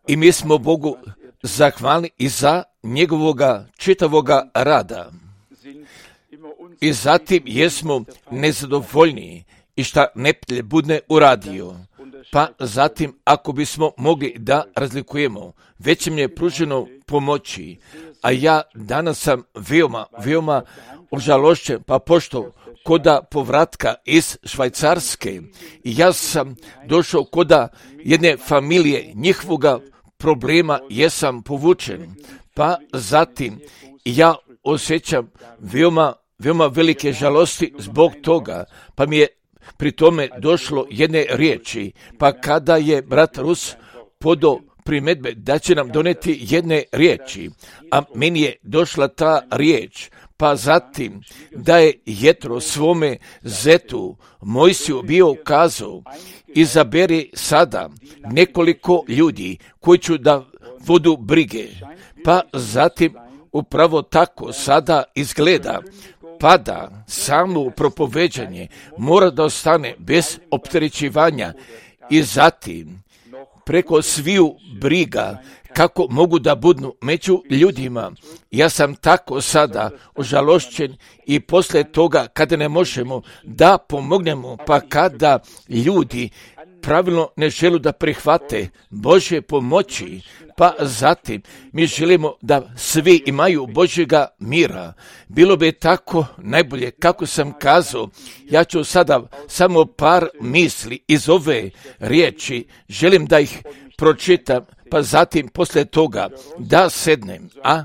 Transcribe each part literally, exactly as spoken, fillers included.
I mi smo Bogu zahvalni i za njegovoga čitavoga rada. I zatim jesmo nezadovoljni i šta neprijatelj bude uradio. Pa zatim, ako bismo mogli da razlikujemo, već im je pruženo pomoći, a ja danas sam veoma, veoma ožalošćen, pa pošto koda povratka iz Švajcarske, i ja sam došao koda jedne familije, njihovoga problema jesam povučen, pa zatim ja osjećam veoma, veoma velike žalosti zbog toga, pa mi je pri tome došlo jedne riječi, pa kada je brat Rus podao primjedbe da će nam doneti jedne riječi, a meni je došla ta riječ, pa zatim da je Jetro svome zetu Mojsiju bio kazao, izaberi sada nekoliko ljudi koji će da vodu brige, pa zatim upravo tako sada izgleda, pa da samo propoveđanje mora da ostane bez opterećivanja i zatim preko sviju briga kako mogu da budu među ljudima. Ja sam tako sada ožalošćen i posle toga kada ne možemo da pomognemo, pa kada ljudi pravilno ne žele da prihvate Božje pomoći, pa zatim mi želimo da svi imaju Božjega mira. Bilo bi tako najbolje, kako sam kazao, ja ću sada samo par misli iz ove riječi, želim da ih pročitam, pa zatim posle toga da sednem, a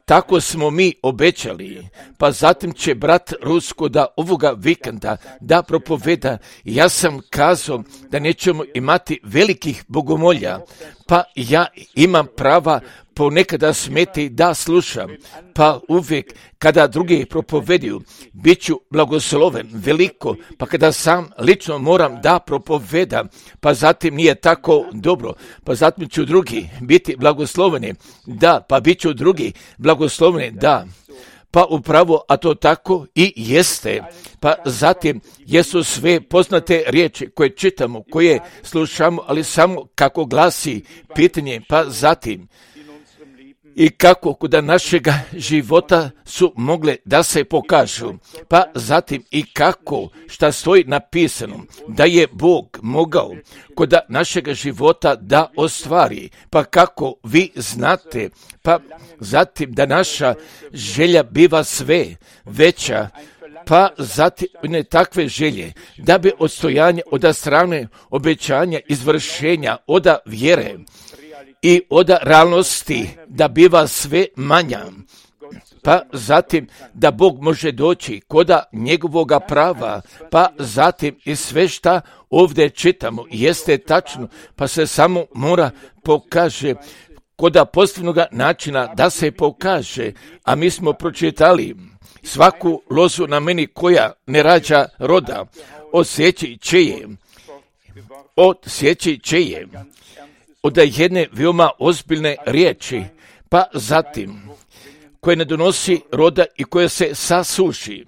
tako smo mi obećali, pa zatim će brat Rusko da ovoga vikenda da propoveda. Ja sam kazao da nećemo imati velikih bogomolja, pa ja imam prava ponekada smeti da slušam, pa uvijek kada drugi propovediju, bit ću blagosloven veliko, pa kada sam lično moram da propovedam, pa zatim nije tako dobro, pa zatim ću drugi biti blagosloveni, da, pa bit ću drugi blagosloveni, da. Pa upravo, a to tako i jeste. Pa zatim jesu sve poznate riječi koje čitamo, koje slušamo, ali samo kako glasi pitanje, pa zatim i kako kod našega života su mogle da se pokažu, pa zatim i kako šta stoji napisano, da je Bog mogao kod našega života da ostvari, pa kako vi znate, pa zatim da naša želja biva sve veća, pa zatim ne takve želje, da bi odstojanje od strane obećanja, izvršenja, od vjere i od realnosti da biva sve manja, pa zatim da Bog može doći koda njegovoga prava, pa zatim i sve šta ovdje čitamo jeste tačno, pa se samo mora pokaže koda pozitivnog načina da se pokaže, a mi smo pročitali svaku lozu na meni koja ne rađa roda, osjeći će je, osjeći će je, od jedne veoma ozbiljne riječi, pa zatim koje ne donosi roda i koje se sasuši,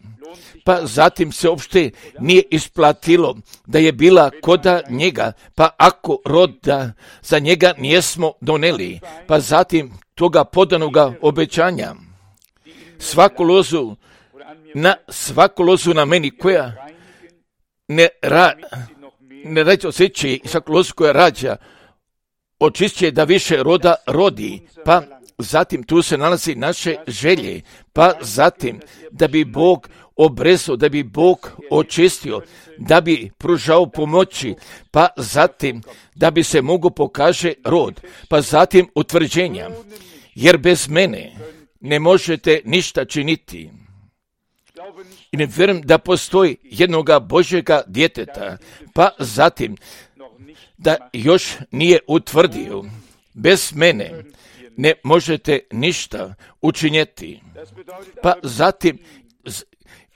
pa zatim se uopšte nije isplatilo da je bila koda njega, pa ako roda za njega nijesmo doneli, pa zatim toga podanoga obećanja, svaku lozu na svaku lozu na meni koja ne, ra, ne rađa osjećaj i svaku lozu koja rađa, očišće da više roda rodi, pa zatim tu se nalazi naše želje, pa zatim da bi Bog obrezao, da bi Bog očistio, da bi pružao pomoći, pa zatim da bi se mogo pokaže rod, pa zatim utvrđenja, jer bez mene ne možete ništa činiti. I ne vjerujem da postoji jednoga Božjega djeteta, pa zatim da još nije utvrdio, bez mene ne možete ništa učinjeti, pa zatim,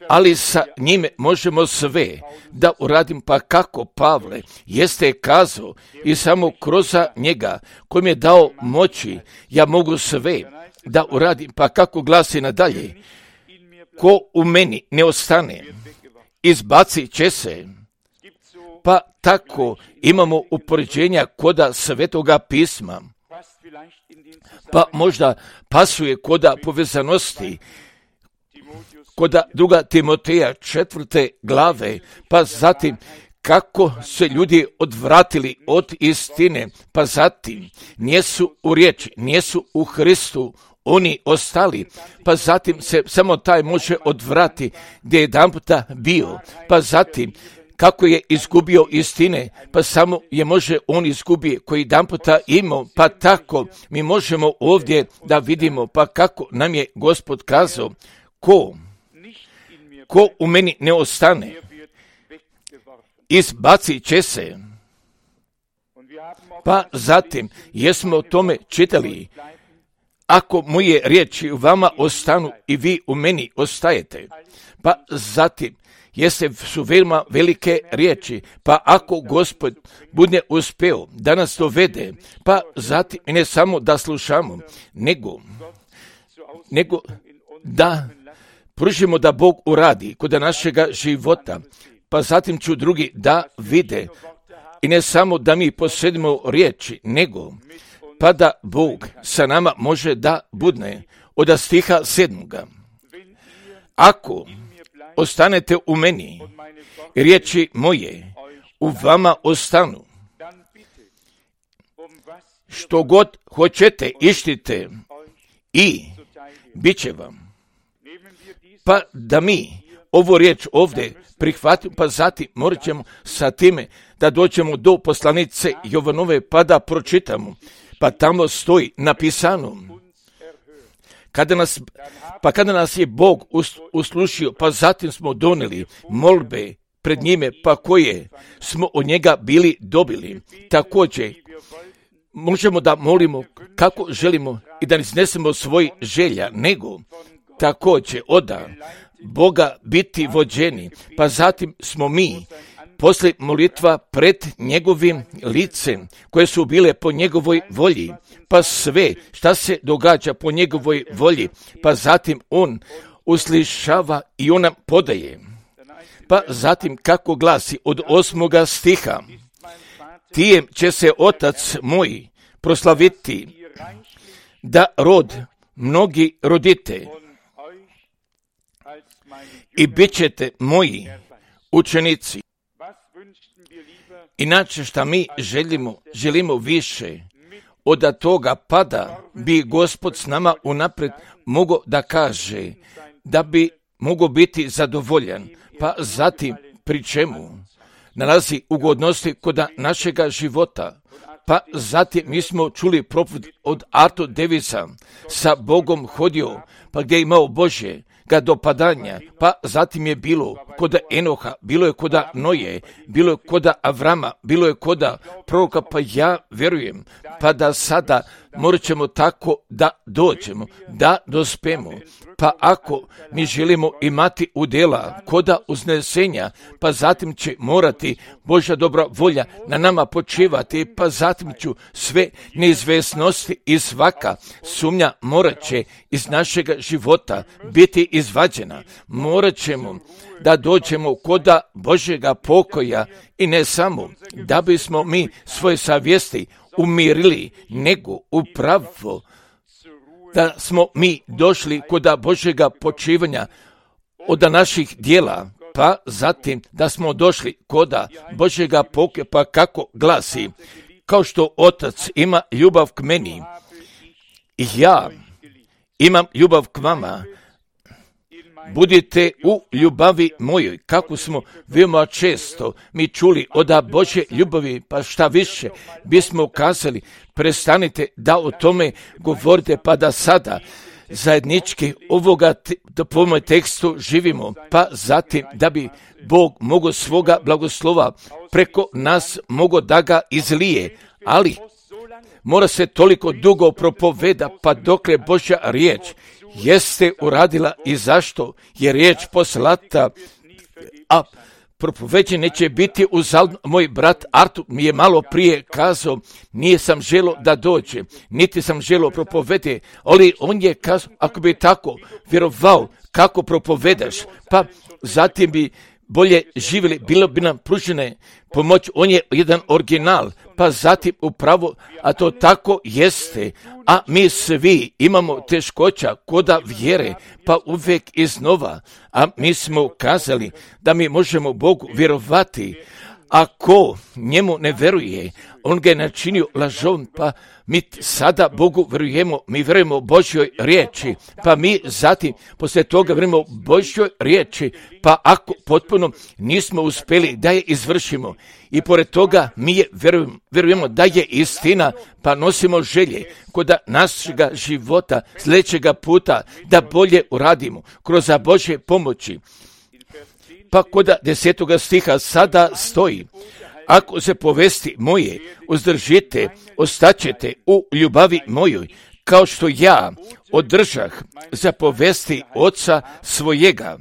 ali sa njime možemo sve da uradim, pa kako Pavle jeste kazao i samo kroz njega koji mi je dao moći, ja mogu sve da uradim, pa kako glasi nadalje, ko u meni ne ostane, izbacit će se. Pa tako imamo upoređenja koda Svetoga pisma, pa možda pasuje koda povezanosti, koda druga Timoteja četvrte glave, pa zatim kako se ljudi odvratili od istine, pa zatim nijesu u riječi, nijesu u Hristu, oni ostali, pa zatim se samo taj može odvrati gdje je jedanputa bio, pa zatim kako je izgubio istine, pa samo je može on izgubio koji jedanputa imao, pa tako mi možemo ovdje da vidimo, pa kako nam je Gospod kazao, ko, ko u meni ne ostane, izbacit će se. Pa zatim, jesmo o tome čitali, ako moje riječi u vama ostanu i vi u meni ostajete, pa zatim, jeste su veoma velike riječi, pa ako Gospod bude uspeo da nas dovede, pa zatim ne samo da slušamo, nego, nego da pružimo da Bog uradi kod našega života, pa zatim ću drugi da vide i ne samo da mi posjedimo riječi, nego pa da Bog sa nama može da budne. Od stiha sedmoga. Ako ostanete u meni, riječi moje u vama ostanu, što god hoćete ištite i bit će vam. Pa da mi ovu riječ ovdje prihvatimo, pa zatim morat ćemo sa time da dođemo do poslanice Jovanove pa da pročitamo. Pa tamo stoji napisano, kada nas, pa kada nas je Bog uslušio, pa zatim smo donijeli molbe pred njime, pa koje smo od njega bili dobili. Također, možemo da molimo kako želimo i da ne iznesemo svoj želja, nego također oda Boga biti vođeni, pa zatim smo mi poslije molitva pred njegovim licem, koje su bile po njegovoj volji, pa sve šta se događa po njegovoj volji, pa zatim on uslišava i on nam podaje. Pa zatim kako glasi od osmoga stiha, tijem će se otac moj proslaviti, da rod mnogi rodite i bit ćete moji učenici. Inače šta mi želimo, želimo više od toga, pa da bi Gospod s nama unaprijed mogao da kaže, da bi mogao biti zadovoljan, pa zatim pri čemu nalazi ugodnosti kod našega života. Pa zatim mi smo čuli propoved od Arto Davisa, sa Bogom hodio, pa gdje je imao Božje ga dopadanja, pa zatim je bilo kod Enoha, bilo je kod Noje, bilo je kod Avrama, bilo je kod proroka, pa ja vjerujem, pa da sada morat ćemo tako da dođemo, da dospemo. Pa ako mi želimo imati udjela koda uznesenja, pa zatim će morati Božja dobra volja na nama počivati, pa zatim ću sve neizvesnosti i svaka sumnja morat će iz našega života biti izvađena. Morat ćemo da dođemo koda Božjega pokoja i ne samo da bismo mi svoje savjesti umirili, nego upravo da smo mi došli koda Božjega počivanja od naših dijela, pa zatim da smo došli koda Božjega pokoja, pa kako glasi, kao što Otac ima ljubav k meni, i ja imam ljubav k vama, budite u ljubavi mojoj, kako smo veoma često mi čuli od Božje ljubavi, pa šta više bismo kazali, prestanite da o tome govorite, pa da sada zajednički ovoga te, po moj tekstu živimo, pa zatim da bi Bog mogao svoga blagoslova preko nas mogao da ga izlije, ali mora se toliko dugo propoveda, pa dokle Božja riječ jeste uradila i zašto je riječ poslata, a propoveđenje će biti uzaludno. Moj brat Artur mi je malo prije kazao, nije sam želo da dođe, niti sam želo propovede, ali on je kazao, ako bi tako vjerovao kako propovedaš, pa zatim bi bolje živjeli, bilo bi nam pružene pomoć. On je jedan original, pa zatim upravo, a to tako jeste, a mi svi imamo teškoća koda vjere, pa uvijek iznova, a mi smo kazali da mi možemo Bogu vjerovati. Ako njemu ne veruje, on ga je načinio lažom, pa mi sada Bogu vjerujemo, mi vjerujemo Božjoj riječi, pa mi zatim poslije toga vjerujemo Božjoj riječi, pa ako potpuno nismo uspjeli da je izvršimo i pored toga mi je vjerujemo, vjerujemo da je istina, pa nosimo želje kod našega života sljedećega puta da bolje uradimo kroz Božje pomoći. Pa kod desetoga stiha sada stoji: ako se povesti moje uzdržite, ostaćete u ljubavi mojoj, kao što ja održah za povesti oca svojega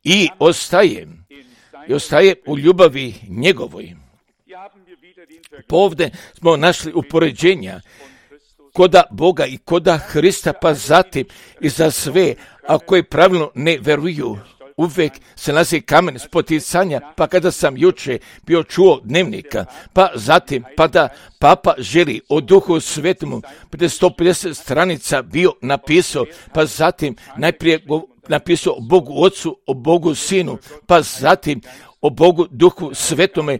i ostajem, i ostaje u ljubavi njegovoj. Povde smo našli upoređenja koda Boga i koda Hrista, pa zatim i za sve, a koji pravilno ne veruju, uvijek se nalazi kamen spoticanja, pa kada sam juče bio čuo dnevnika, pa zatim, pa da Papa želi o Duhu Svetomu, prije sto pedeset stranica bio napisao, pa zatim najprije napisao o Bogu Otcu, o Bogu Sinu, pa zatim o Bogu Duhu Svetome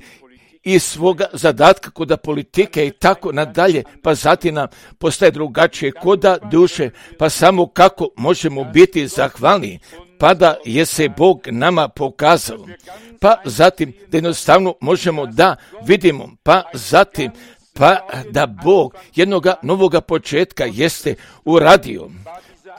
i svoga zadatka koda politike i tako nadalje, pa zatim nam postaje drugačije koda duše, pa samo kako možemo biti zahvalni, pa da je se Bog nama pokazao, pa zatim da jednostavno možemo da vidimo, pa zatim pa da Bog jednoga novoga početka jeste uradio.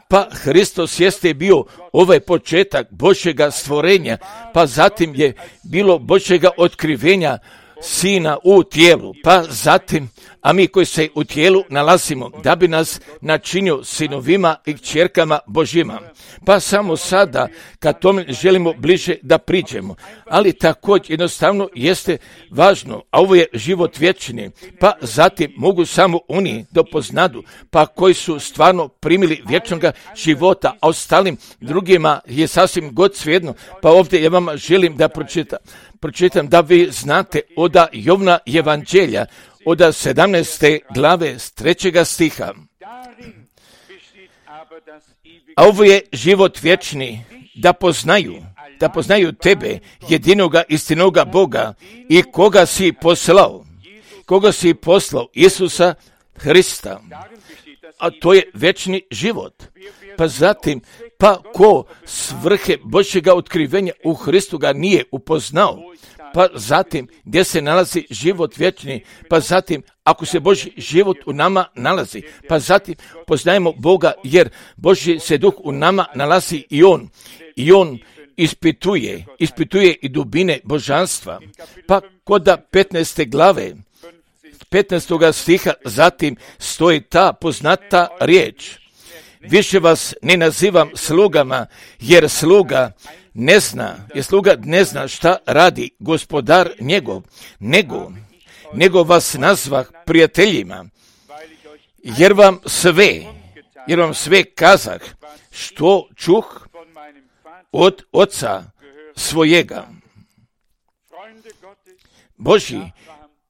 Pa Hristos jeste bio ovaj početak Božjega stvorenja, pa zatim je bilo Božjega otkrivenja Sina u tijelu, pa zatim, a mi koji se u tijelu nalazimo, da bi nas načinio sinovima i kćerkama Božjima. Pa samo sada, kad tome želimo bliže da priđemo, ali također jednostavno jeste važno, a ovo je život vječni, pa zatim mogu samo oni da poznadu, pa koji su stvarno primili vječnoga života, a ostalim drugima je sasvim god svejedno. Pa ovdje ja vam želim da pročitam, pročitam da vi znate od Jovna Evanđelja, od sedamnaeste glave s trećega stiha. A ovo je život vječni, da poznaju, da poznaju tebe, jedinoga istinoga Boga i koga si poslao, koga si poslao, Isusa Hrista. A to je vječni život. Pa zatim, pa ko svrhe Božjega otkrivenja u Hristu ga nije upoznao, pa zatim gdje se nalazi život vječni, pa zatim ako se Božji život u nama nalazi, pa zatim poznajemo Boga jer Božji se duh u nama nalazi i on, i on ispituje, ispituje i dubine božanstva. Pa kod petnaeste glave, petnaestoga stiha zatim stoji ta poznata riječ: više vas ne nazivam slugama, jer sluga ne zna, jer sluga ne zna šta radi gospodar njegov, nego, nego vas nazvah prijateljima, jer vam sve, jer vam sve kazah, što čuh od oca svojega. Božji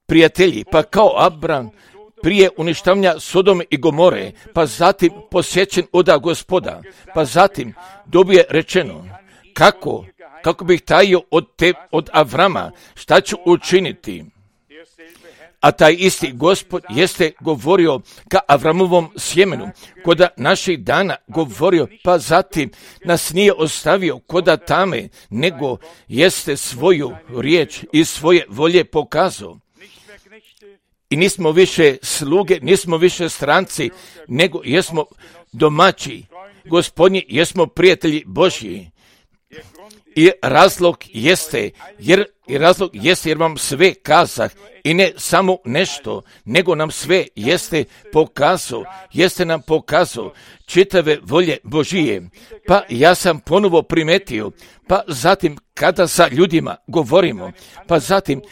prijatelji, pa kao Abram prije uništavanja Sodome i Gomore, pa zatim posjećen od Gospoda, pa zatim dobije rečeno: kako, kako bih tajio od, te, od Avrama, šta ću učiniti? A taj isti Gospod jeste govorio ka Avramovom sjemenu, koda naših dana govorio, pa zatim nas nije ostavio koda tame, nego jeste svoju riječ i svoje volje pokazao. I nismo više sluge, nismo više stranci, nego jesmo domaći Gospodnji, jesmo prijatelji Božji. I razlog jeste, jer, i razlog jeste jer vam sve kazah, i ne samo nešto, nego nam sve jeste pokazao, jeste nam pokazao čitave volje Božije. Pa ja sam ponovo primetio, pa zatim kada sa ljudima govorimo, pa zatim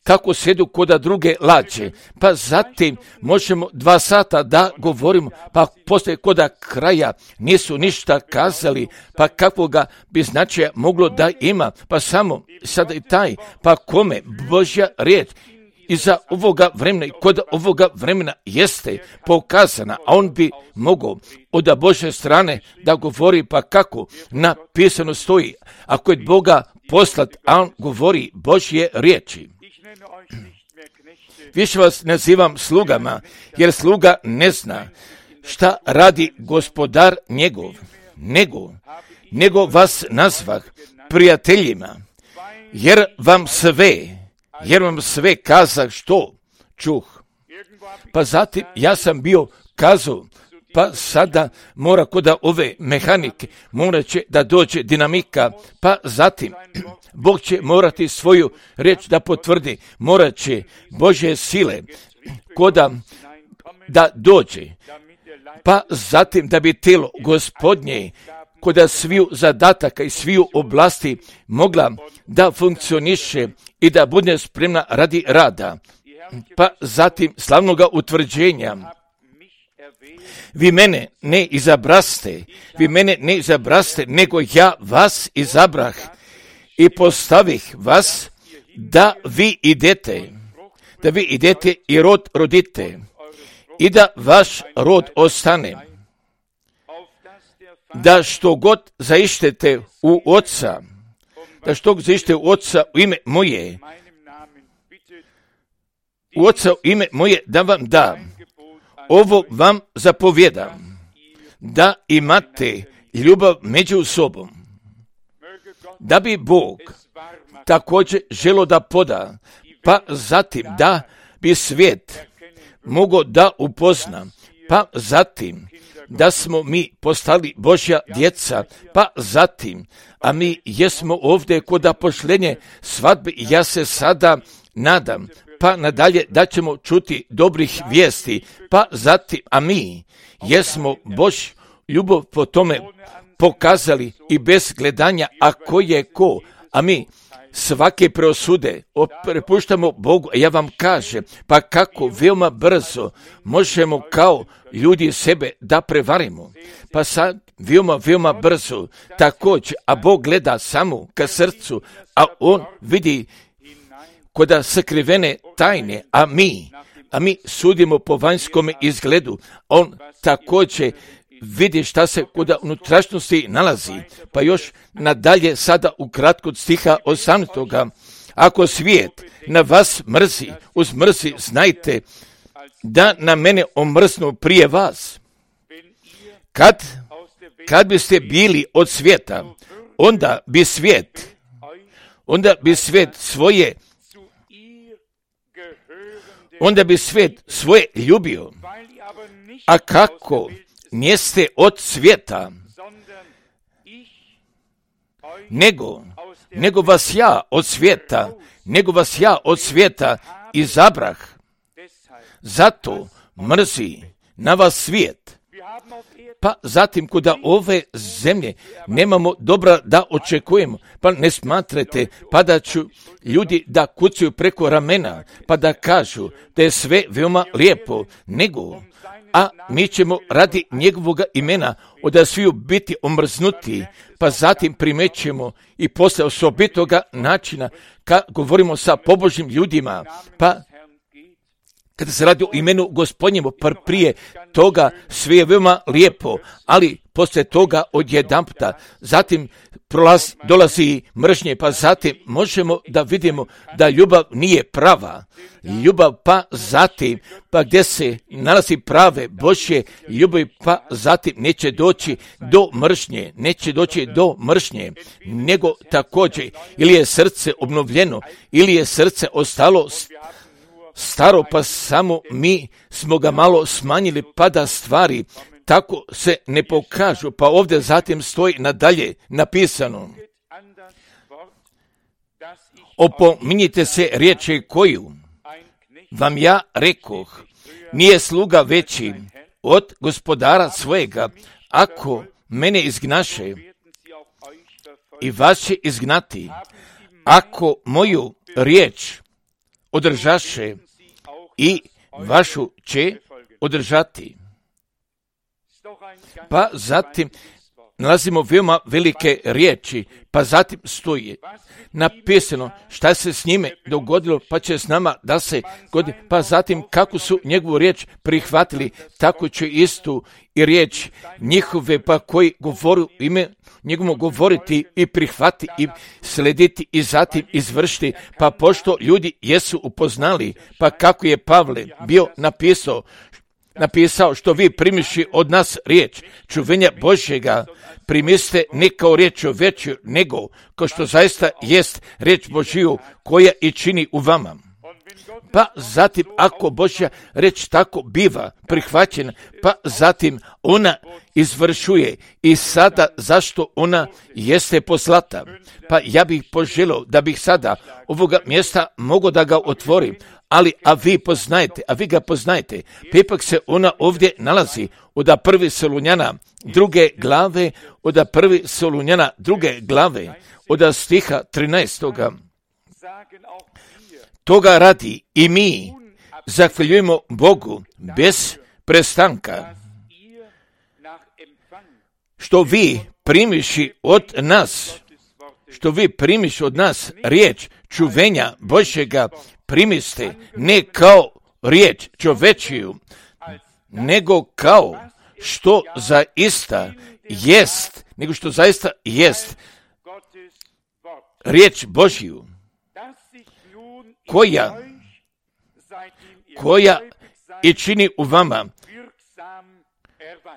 kako sjedu koda druge lađe, pa zatim možemo dva sata da govorimo, pa poslije koda kraja nisu ništa kazali, pa kakvoga bi značaja moglo da ima, pa samo sada i taj, pa kome Božja riječ iza ovoga vremena i kod ovoga vremena jeste pokazana, a on bi mogao od Božje strane da govori, pa kako napisano stoji, ako je Boga poslat, a on govori Božje riječi. Više vas nazivam slugama, jer sluga ne zna šta radi gospodar njegov, nego, nego vas nazvah prijateljima, jer vam sve, jer vam sve kazah što čuh. Pa zatim ja sam bio kazao, pa sada mora koda ove mehanike, morat će da dođe dinamika, pa zatim Bog će morati svoju riječ da potvrdi, morat će Božje sile koda da dođe, pa zatim da bi telo Gospodnje koda sviju zadataka i sviju oblasti mogla da funkcioniše i da bude spremna radi rada, pa zatim slavnoga utvrđenja. Vi mene ne izabraste, vi mene ne izabraste, nego ja vas izabrah i postavih vas da vi idete, da vi idete i rod rodite i da vaš rod ostane, da što god zaištete u Oca, da što god zaištete u Oca u ime moje, u Oca u ime moje da vam da, ovo vam zapovjedam, da imate ljubav među sobom, da bi Bog također želo da poda, pa zatim da bi svijet mogao da upozna, pa zatim da smo mi postali Božja djeca, pa zatim, a mi jesmo ovdje kod pošlenje svadbe, ja se sada nadam, pa nadalje da ćemo čuti dobrih vijesti, pa zatim, a mi jesmo Božju ljubav po tome pokazali i bez gledanja, a ko je ko, a mi svake preosude prepuštamo Bogu, a ja vam kažem, pa kako veoma brzo možemo kao ljudi sebe da prevarimo, pa sad veoma, veoma brzo također, a Bog gleda samo ka srcu, a on vidi koda sakrivene tajne, a mi, a mi sudimo po vanjskom izgledu, on također vidi šta se kod unutrašnjosti nalazi, pa još nadalje sada u kratko stiha osamnaestog. Ako svijet na vas mrzi, uz mrzi znajte da na mene omrznu prije vas. Kad, kad biste bili od svijeta, onda bi svijet, onda bi svijet svoje, onda bi svijet svoje ljubio, a kako niste od svijeta, nego, nego vas ja od svijeta, nego vas ja od svijeta izabrah, zato mrzi na vas svijet. Pa zatim kuda ove zemlje nemamo dobra da očekujemo, pa ne smatrate, pa da ću ljudi da kucaju preko ramena, pa da kažu da je sve veoma lijepo, nego, a mi ćemo radi njegovog imena od sviju biti omrznuti, pa zatim primećemo i posle osobitoga načina kad govorimo sa pobožnim ljudima, pa kada se radi o imenu Gospodnjemu, prije toga sve je veoma lijepo, ali poslije toga odjedanputa, zatim prolaz, dolazi mržnje, pa zatim možemo da vidimo da ljubav nije prava. Ljubav pa zatim, pa gdje se nalazi prave Božje ljubav, pa zatim neće doći do mržnje, neće doći do mržnje, nego također ili je srce obnovljeno, ili je srce ostalo staro, pa samo mi smo ga malo smanjili, pa da stvari tako se ne pokažu, pa ovdje zatim stoji nadalje napisano: opominjite se riječi koju vam ja rekoh, nije sluga veći od gospodara svojega, ako mene izgnaše i vas će izgnati, ako moju riječ održaše i vašu će održati. Pa zatim nalazimo veoma velike riječi, pa zatim stoji napisano šta se s njime dogodilo, pa će s nama da se godi, pa zatim kako su njegovu riječ prihvatili, tako će istu i riječ njihove, pa koji govoru ime njegovom govoriti i prihvati i slediti i zatim izvršiti, pa pošto ljudi jesu upoznali, pa kako je Pavle bio napisao, napisao što vi primiši od nas riječ čuvenja Božjega, primiste ne kao riječ o veću, nego kao što zaista jest riječ Božiju koja i čini u vama. Pa zatim ako Božja riječ tako biva prihvaćena, pa zatim ona izvršuje i sada zašto ona jeste poslata. Pa ja bih poželio da bih sada ovoga mjesta mogao da ga otvorim, ali a vi poznajete, a vi ga poznajete, pa ipak se ona ovdje nalazi od prvi Solunjana druge glave, od prvi Solunjana druge glave, od stiha trinaestoga. Toga radi i mi zahvaljujemo Bogu bez prestanka, što vi primiši od nas, što vi primiši od nas riječ čuvenja Božjega, primiste ne kao riječ čovečiju, nego kao što zaista jest, nego što zaista jest riječ Božju, koja, koja i čini u vama,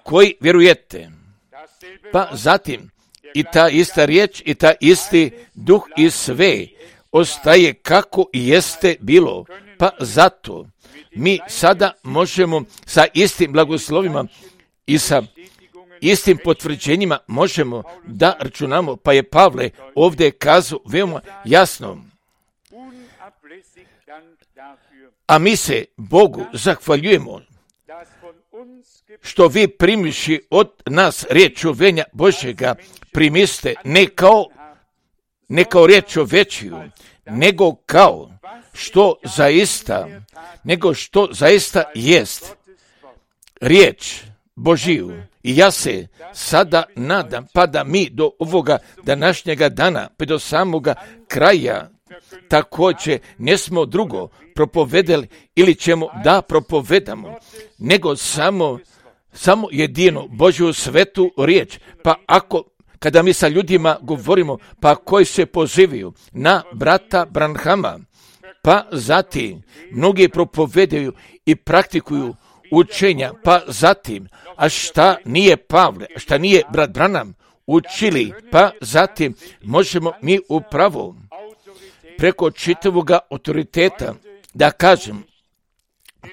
koji vjerujete. Pa zatim i ta ista riječ i ta isti duh i sve ostaje kako i jeste bilo. Pa zato mi sada možemo sa istim blagoslovima i sa istim potvrđenjima možemo da računamo. Pa je Pavle ovdje kazao veoma jasno. A mi se Bogu zahvaljujemo što vi primiši od nas riječ čuvenja Božjega, primiste ne kao, ne kao riječ čovečiju, nego kao što zaista, nego što zaista jest riječ Božiju. I ja se sada nadam, pa da mi do ovoga današnjega dana, pa do samoga kraja, također ne smo drugo propovedali ili ćemo da propovedamo, nego samo, samo jedino Božju svetu riječ. Pa ako, kada mi sa ljudima govorimo, pa koji se pozivaju na brata Branhama, pa zatim mnogi propovedaju i praktikuju učenja, pa zatim, a šta nije Pavle, a šta nije brat Branham učili, pa zatim možemo mi upravo preko čitavoga autoriteta da kažem,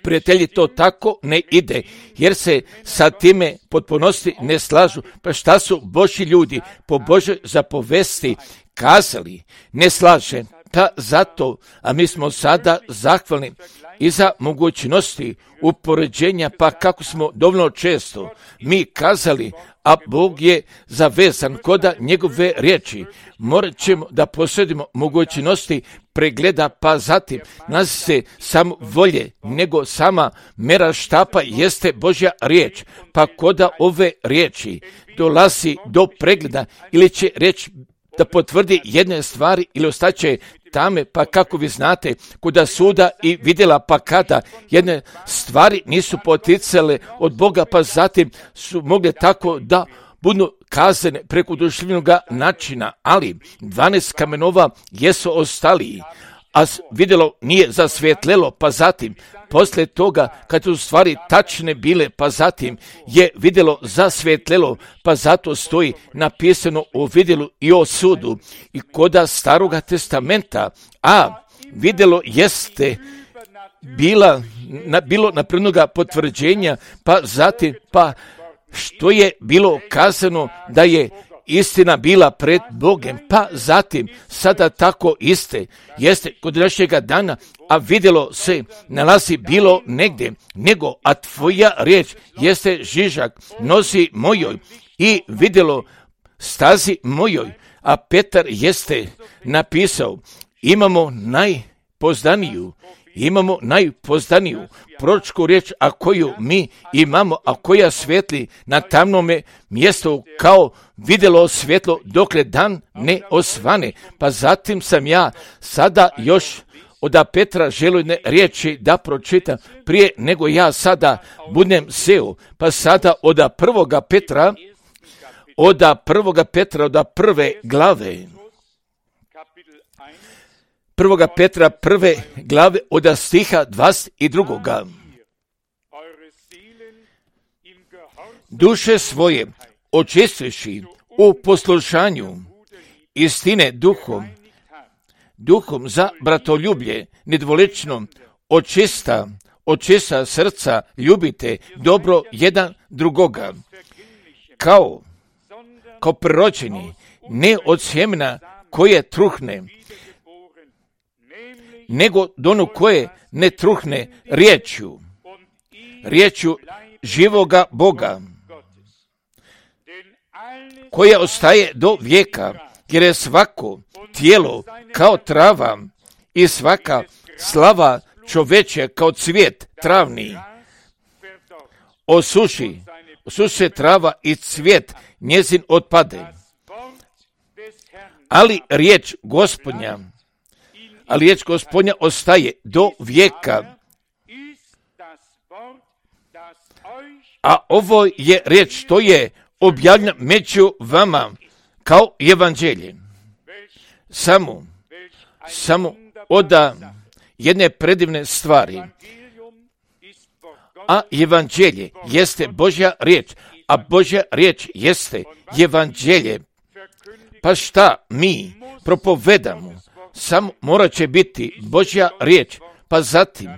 prijatelji, to tako ne ide, jer se sa time potpunosti ne slažu. Pa šta su Božji ljudi po Božoj zapovesti kazali, ne slaže. Pa zato, a mi smo sada zahvalni i za mogućnosti upoređenja, pa kako smo dovoljno često mi kazali, a Bog je zavezan koda njegove riječi. Morat ćemo da posjedimo mogućnosti pregleda, pa zatim nas se sam volje, nego sama mera štapa jeste Božja riječ. Pa koda ove riječi dolazi do pregleda ili će riječ da potvrdi jedne stvari ili ostaće tame, pa kako vi znate, kuda suda i vidjela, pa kada jedne stvari nisu poticale od Boga, pa zatim su mogle tako da budu kazane preko duševnog načina, ali dvanaest kamenova jesu ostali, a vidjelo nije zasvjetlelo, pa zatim poslije toga kad su stvari tačne bile, pa zatim je vidjelo zasvjetlelo, pa zato stoji napisano o vidjelu i o sudu. I koda Staroga testamenta, a vidjelo jeste bila, na, bilo naprednoga potvrđenja, pa zatim, pa što je bilo kazano da je istina bila pred Bogem, pa zatim sada tako iste jeste kod našega dana, a vidjelo se nalazi bilo negdje, nego a tvoja riječ jeste žižak nosi mojoj i vidjelo stazi mojoj, a Petar jeste napisao, imamo najpozdaniju, imamo najpozdaniju proročku riječ, a koju mi imamo, a koja svijetli na tamnome mjestu kao vidjelo svjetlo dokle dan ne osvane. Pa zatim sam ja sada još od Petra željene riječi da pročitam prije nego ja sada budem seo. Pa sada od prvoga Petra, od prvoga Petra, od prve glave, prvoga Petra prve glave od stiha dvadeset drugoga. Duše svoje očistveši u poslušanju istine duhom, duhom za bratoljublje nedvolično očista, očista srca ljubite dobro jedan drugoga, kao, kao prirođeni, ne od sjemena koje truhne, nego do ono koje ne truhne riječju, riječju živoga Boga, koja ostaje do vijeka, jer je svako tijelo kao trava i svaka slava čoveče kao cvijet travni. Osuši, osuše trava i cvijet njezin otpade. Ali riječ Gospodnja, ali riječ Gospodnja ostaje do vijeka. A ovo je riječ što je objavljena među vama kao evanđelje. Samo, samo od jedne predivne stvari. A evanđelje jeste Božja riječ, a Božja riječ jeste evanđelje. Pa šta mi propovedamo? Samo morat će biti Božja riječ, pa zatim,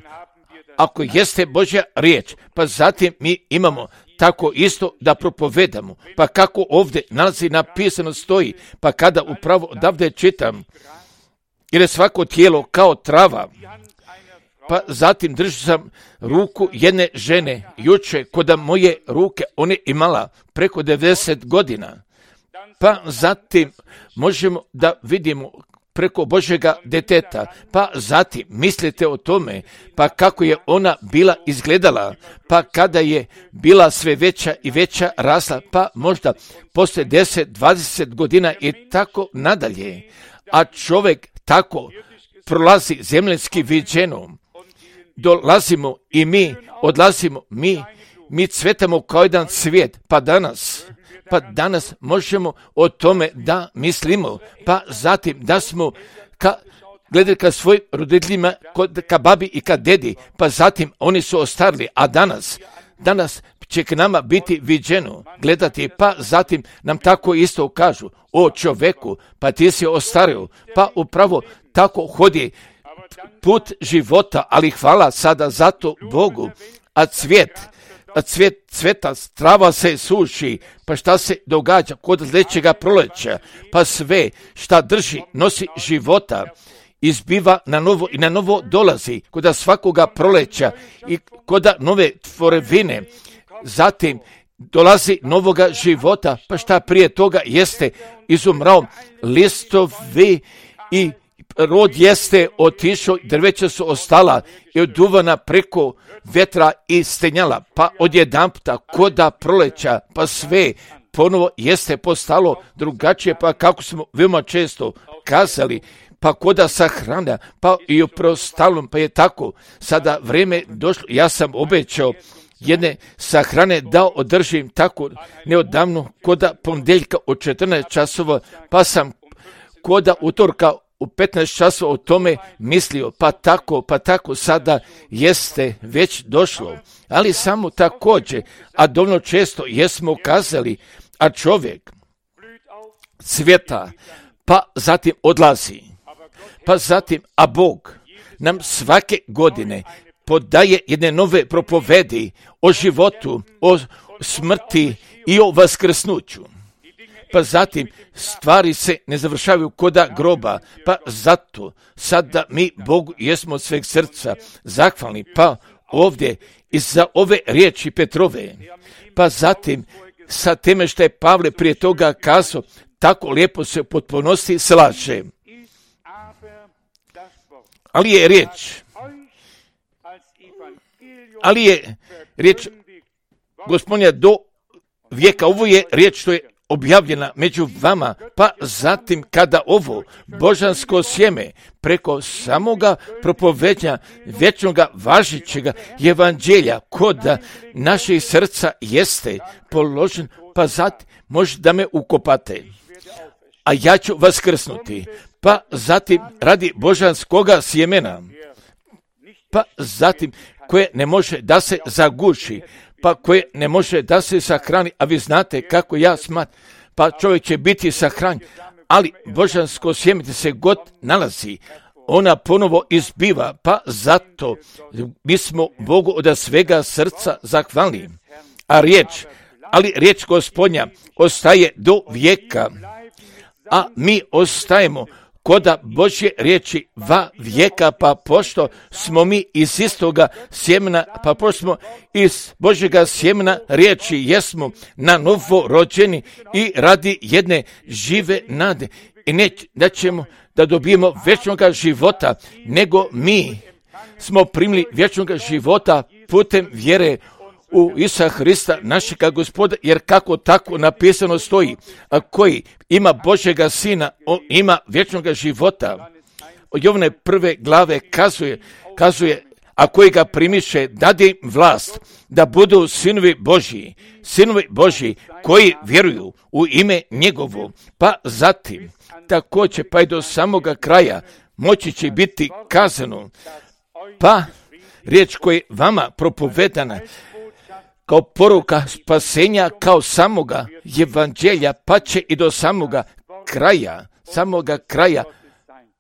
ako jeste Božja riječ, pa zatim mi imamo tako isto da propovedamo. Pa kako ovdje nalazi napisano stoji, pa kada upravo odavde čitam, jer je svako tijelo kao trava, pa zatim držim sam ruku jedne žene, juče kod moje ruke, ona je imala preko devedeset godina, pa zatim možemo da vidimo preko Božjega deteta, pa zatim mislite o tome, pa kako je ona bila izgledala, pa kada je bila sve veća i veća rasla, pa možda poslije deset, dvadeset godina i tako nadalje, a čovjek tako prolazi zemljanski viđenom, dolazimo i mi odlazimo, mi, mi cvetamo kao jedan cvijet, pa danas, pa danas možemo o tome da mislimo, pa zatim da smo ka, gledali ka svojim roditeljima, ka babi i ka dedi, pa zatim oni su ostarili, a danas, danas će k nama biti viđeno gledati, pa zatim nam tako isto kažu, o čoveku, pa ti si ostario, pa upravo tako hodi put života, ali hvala sada zato Bogu, a cvijet, a cvijet, cveta, trava se suši, pa šta se događa kod sljedećega proleća, pa sve šta drži, nosi života, izbiva na novo i na novo dolazi kod svakoga proleća i kod nove tvorevine, zatim dolazi novoga života, pa šta prije toga jeste izumrao, listovi i rod jeste otišao, drveća su ostala i oduvana preko vetra i stenjala, pa odjedanputa koda proleća, pa sve ponovo jeste postalo drugačije, pa kako smo veoma često kazali, pa koda sahrana, pa i u prostalom, pa je tako, sada vrijeme došlo, ja sam obećao jedne sahrane da održim tako neodavno koda ponedjeljka od četrnaest časova, pa sam koda utorka u petnaest časova o tome mislio, pa tako, pa tako sada jeste već došlo, ali samo također, a dovoljno često jesmo kazali, a čovjek cvjeta, pa zatim odlazi, pa zatim, a Bog nam svake godine podaje jedne nove propovedi o životu, o smrti i o vaskrsnuću. Pa zatim stvari se ne završavaju koda groba, pa zato sada mi Bogu jesmo od sveg srca zahvalni, pa ovdje i za ove riječi Petrove, pa zatim sa teme što je Pavle prije toga kazao, tako lijepo se u potpunosti slaže. ali je riječ, ali je riječ Gospodnja do vijeka. Ovo je riječ što je objavljena među vama, pa zatim kada ovo božansko sjeme preko samoga propovednja vječnoga važećega evanđelja kod naših srca jeste položen, pa zatim možda da me ukopate, a ja ću vaskrsnuti, pa zatim radi božanskoga sjemena, pa zatim koje ne može da se zaguši, pa koje ne može da se sahrani, a vi znate kako ja smatram, pa čovjek će biti sahranjen, ali božansko sjeme se god nalazi, ona ponovo izbiva, pa zato mi smo Bogu od svega srca zahvalni. A riječ, ali riječ Gospodnja ostaje do vijeka, a mi ostajemo koda Božje riječi va vijeka, pa pošto smo mi iz istoga sjemena, pa pošto smo iz Božjega sjemena riječi, jesmo na novo rođeni i radi jedne žive nade. I ne da ćemo da dobijemo vječnoga života, nego mi smo primili vječnoga života putem vjere u Isusa Hrista, našega Gospoda, jer kako tako napisano stoji, a koji ima Božjega Sina, on ima vječnoga života. Od Jovane prve glave kazuje, kazuje, a koji ga primiše, dade im vlast da budu sinovi Božji, sinovi Božji koji vjeruju u ime njegovo, pa zatim također pa i do samoga kraja moći će biti kazano, pa riječ koja je vama propovedana kao poruka spasenja, kao samoga evanđelja, pa će i do samoga kraja, samoga kraja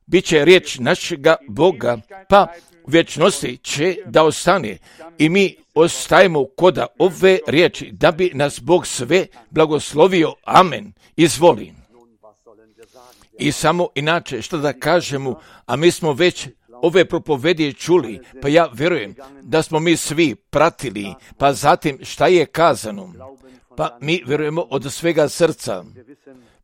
bit će riječ našega Boga, pa u vječnosti će da ostane i mi ostajemo koda ove riječi, da bi nas Bog sve blagoslovio. Amen. Izvoli. I samo inače, što da kažemo, a mi smo već ove propovedije čuli, pa ja vjerujem da smo mi svi pratili, pa zatim šta je kazano, pa mi vjerujemo od svega srca,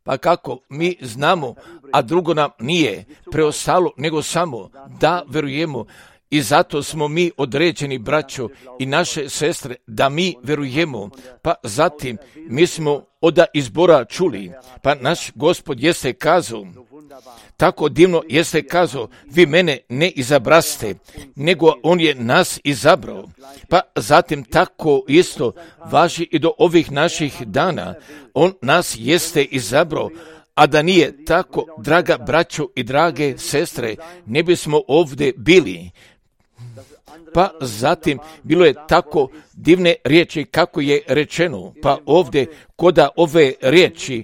pa kako mi znamo, a drugo nam nije preostalo nego samo da vjerujemo, i zato smo mi određeni, braćo i naše sestre, da mi vjerujemo, pa zatim mi smo od izbora čuli, pa naš Gospod jeste kazao, tako divno jeste kazao, vi mene ne izabraste, nego on je nas izabrao. Pa zatim tako isto važi i do ovih naših dana, on nas jeste izabrao, a da nije tako, draga braćo i drage sestre, ne bismo ovdje bili. Pa zatim bilo je tako divne riječi kako je rečeno, pa ovdje koda ove riječi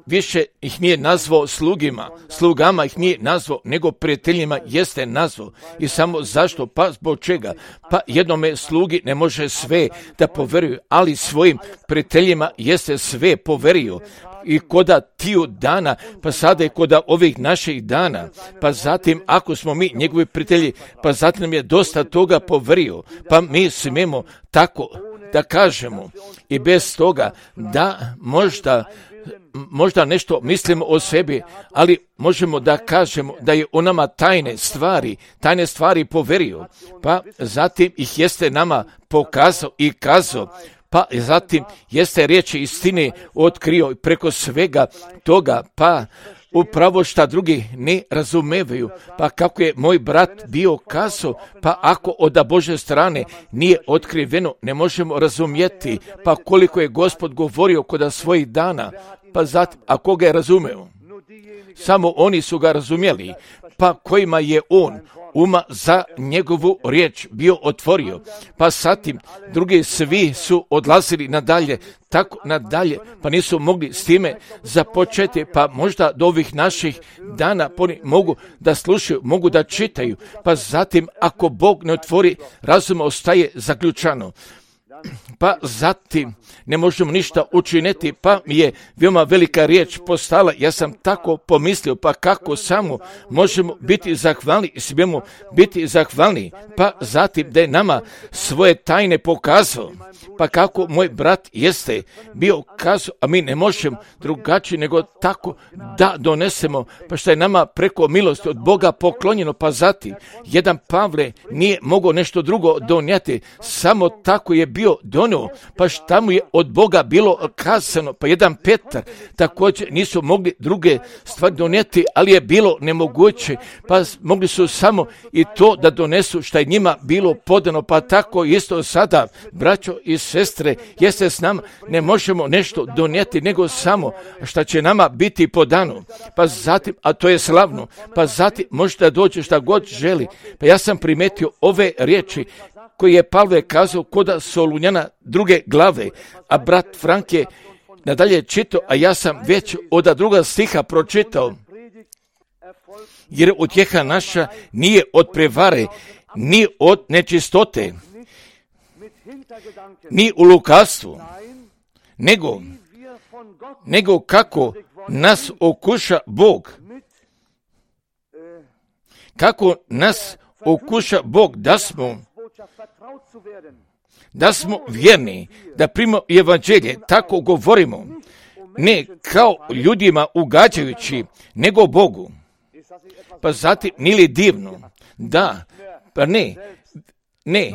više ih nije nazvao slugima, slugama ih nije nazvao, nego prijateljima jeste nazvao. I samo zašto? Pa zbog čega? Pa jednome slugi ne može sve da poveruju, ali svojim prijateljima jeste sve poverio. I koda tiju dana, pa sada je koda ovih naših dana, pa zatim ako smo mi njegovi prijatelji, pa zatim nam je dosta toga poverio, pa mi smijemo tako da kažemo i bez toga da možda možda nešto mislimo o sebi, ali možemo da kažemo da je u nama tajne stvari, tajne stvari poverio, pa zatim ih jeste nama pokazao i kazao, pa zatim jeste riječi istine otkrio preko svega toga, pa upravo šta drugi ne razumevaju, pa kako je moj brat bio kazao, pa ako od Božje strane nije otkriveno, ne možemo razumjeti, pa koliko je Gospod govorio kod svojih dana, pa zatim, a ko ga je razumeo? Samo oni su ga razumjeli, pa kojima je on uma za njegovu riječ bio otvorio, pa zatim drugi svi su odlazili nadalje, tako nadalje, pa nisu mogli s time započeti, pa možda do ovih naših dana oni mogu da slušaju, mogu da čitaju, pa zatim ako Bog ne otvori, razum ostaje zaključano. pa zatim ne možemo ništa učiniti, pa mi je veoma velika riječ postala. Ja sam tako pomislio, pa kako samo možemo biti zahvalni, smijemo biti zahvalni, pa zatim da je nama svoje tajne pokazao, pa kako moj brat jeste bio kazao, a mi ne možemo drugačije nego tako da donesemo, pa što je nama preko milosti od Boga poklonjeno, pa zatim jedan Pavle nije mogao nešto drugo donijeti, samo tako je bio donio, pa šta mu je od Boga bilo kazano, pa jedan Petar također nisu mogli druge stvari donijeti, ali je bilo nemoguće, pa mogli su samo i to da donesu što je njima bilo podano, pa tako isto sada, braćo i sestre, jeste s nama, ne možemo nešto donijeti, nego samo šta će nama biti podano, pa zatim, a to je slavno, pa zatim možete doći šta god želi. Pa ja sam primetio ove riječi koje je Pavle kazao koda Solunjana druge glave, a brat Frank je nadalje čitao, a ja sam već od druga stiha pročitao, jer utjeha naša nije od prevare, ni od nečistote, ni u lukavstvu, nego, nego kako nas okuša Bog, kako nas okuša Bog da smo da smo vjerni, da primamo evanđelje, tako govorimo, ne kao ljudima ugađajući, nego Bogu. Pa zatim, nije li divno? Da, pa ne, ne,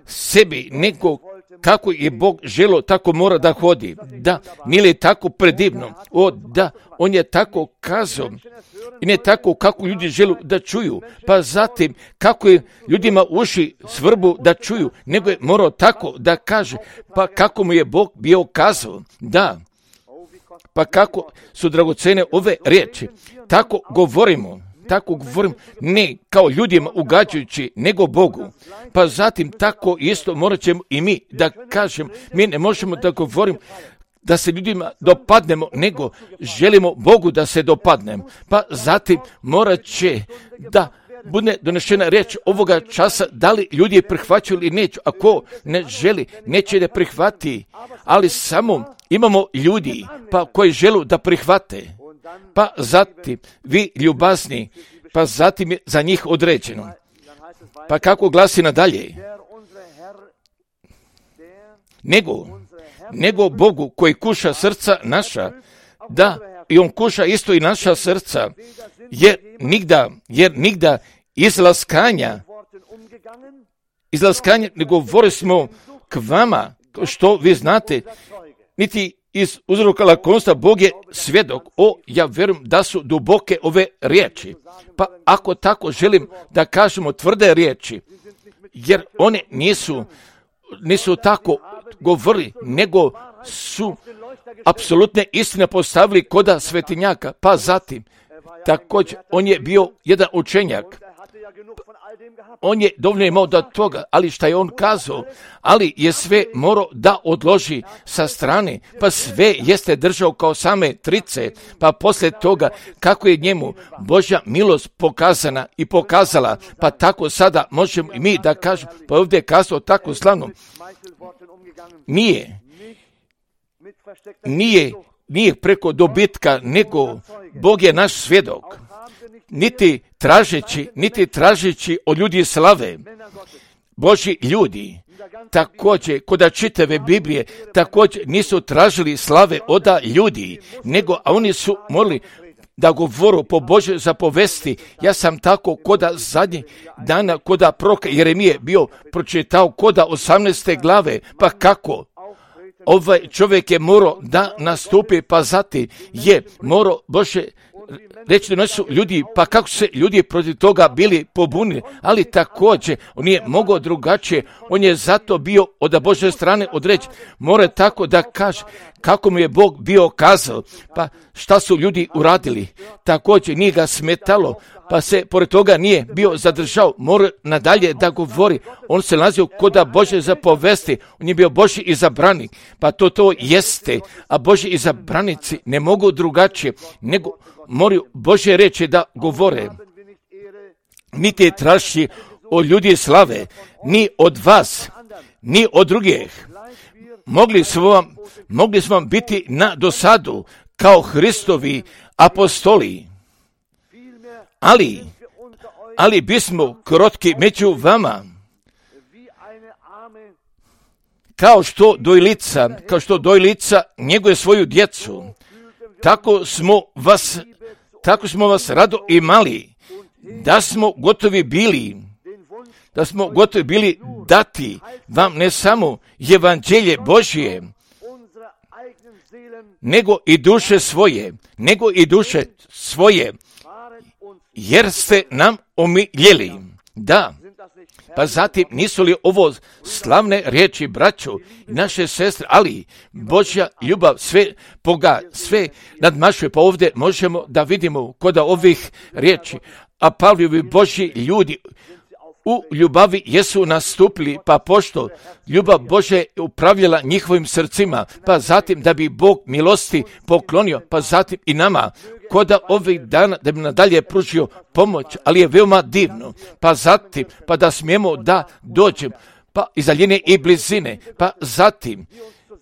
sebi, nego kako je Bog želo, tako mora da hodi. Da, nije li tako predivno? O, da, on je tako kazao. I ne tako kako ljudi žele da čuju, pa zatim kako je ljudima uši svrbu da čuju, nego je morao tako da kaže, pa kako mu je Bog bio kazao, da, pa kako su dragocene ove riječi, tako govorimo, tako govorimo, ne kao ljudima ugađajući, nego Bogu, pa zatim tako isto morat ćemo i mi da kažemo, mi ne možemo da govorimo, da se ljudima dopadnemo, nego želimo Bogu da se dopadnemo. Pa zatim morat će da bude donešena riječ ovoga časa, da li ljudi prihvaćaju ili neću. Ako ne želi, neće da prihvati, ali samo imamo ljudi pa koji žele da prihvate. Pa zatim vi ljubazni, pa zatim je za njih određeno. Pa kako glasi nadalje? Nego, nego Bogu koji kuša srca naša, da i on kuša isto i naša srca, jer nigda, jer nigda izlaskanja, izlaskanja ne govori smo k vama, što vi znate, niti iz uzroka lakonstva, Bog je svjedok. O, ja vjerujem da su duboke ove riječi. Pa ako tako želim da kažemo tvrde riječi, jer one nisu, nisu tako govori, nego su apsolutne istine postavili koda svetinjaka. Pa zatim, također, on je bio jedan učenjak. On je dovoljno imao da toga, ali šta je on kazao, ali je sve morao da odloži sa strane, pa sve jeste držao kao same trice, pa poslije toga kako je njemu Božja milost pokazana i pokazala, pa tako sada možemo i mi da kažemo, pa ovdje je kazao tako slavno, nije, nije, nije preko dobitka, nego Bog je naš svjedok. Niti tražeći, niti tražeći od ljudi slave, Božji ljudi, također, kod čitave Biblije, također nisu tražili slave od ljudi, nego a oni su morali da govoru po Božoj zapovesti. Ja sam tako koda zadnjih dana, koda proroka Jeremije bio pročitao koda osamnaeste glave, pa kako? Ovaj čovjek je morao da nastupi, pa zatim je morao Bože reći da su ljudi, pa kako se ljudi protiv toga bili pobunili, ali također on je mogao drugačije, on je zato bio od Božje strane određen, mora tako da kaže kako mu je Bog bio kazao, pa šta su ljudi uradili, također nije ga smetalo, pa se pored toga nije bio zadržao, mora nadalje da govori, on se nalazio koda Božje zapovesti, on je bio Božji izabranik, pa to to jeste, a Božji izabranici ne mogu drugačije, nego moraju Božje reći da govore, niti traži od ljudi slave, ni od vas, ni od drugih. Mogli smo vam, mogli smo vam biti na dosadu kao Hristovi apostoli, ali, ali bismo krotki među vama, kao što dojlica, kao što dojlica njeguje svoju djecu, tako smo vas, tako smo vas rado imali, da smo gotovi bili, da smo gotovi bili dati vam ne samo evanđelje Božje, nego i duše svoje, nego i duše svoje, jer ste nam omiljeli. Da, pa zatim nisu li ovo slavne riječi, braćo i naše sestre, ali Božja ljubav sve poga, sve nadmašuje, pa ovdje možemo da vidimo kod ovih riječi, a Pavlovi Božji ljudi u ljubavi jesu nastupili, pa pošto ljubav Božja je upravljala njihovim srcima, pa zatim da bi Bog milosti poklonio, pa zatim i nama, koda ovih dana da bi nadalje pružio pomoć, ali je veoma divno, pa zatim, pa da smijemo da dođemo, pa iz daljine i blizine, pa zatim,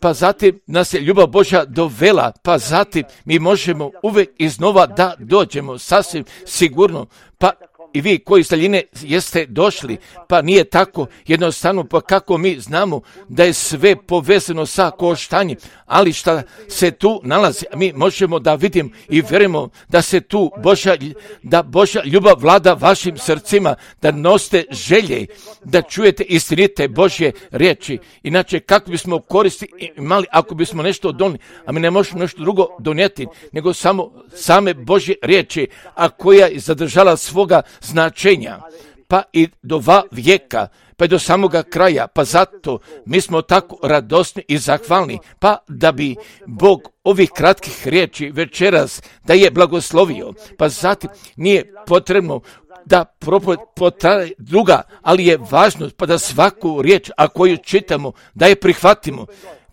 pa zatim nas je ljubav Božja dovela, pa zatim mi možemo uvijek iznova da dođemo, sasvim sigurno, pa i vi koji iz daljine jeste došli, pa nije tako jednostavno, pa kako mi znamo da je sve povezano sa koštanjem, ali šta se tu nalazi, mi možemo da vidimo i vjerujemo da se tu Božja, da Božja ljubav vlada vašim srcima, da nosite želje, da čujete istinite Božje riječi. Inače, kako bismo koristi imali ako bismo nešto donijeli, a mi ne možemo nešto drugo donijeti, nego samo same Božje riječi, a koja je zadržala svoga značenja, pa i do dva vijeka, pa i do samoga kraja, pa zato mi smo tako radosni i zahvalni, pa da bi Bog ovih kratkih riječi večeras da je blagoslovio, pa zatim nije potrebno da propoved potraje druga, ali je važno pa da svaku riječ, a koju čitamo, da je prihvatimo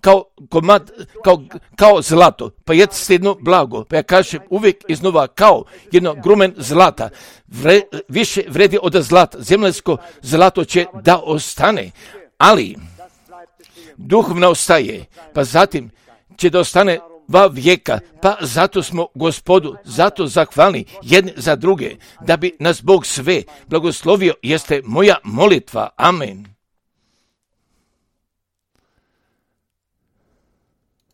kao komad, kao, kao zlato, pa jeste jedno blago, pa ja kažem uvijek iznova kao jedno grumen zlata, Vre, više vredi od zlata, zemljsko zlato će da ostane, ali duhovno ostaje, pa zatim će da ostane dva vijeka, pa zato smo Gospodu, zato zahvalni jedni za druge, da bi nas Bog sve blagoslovio, jeste moja molitva. Amen.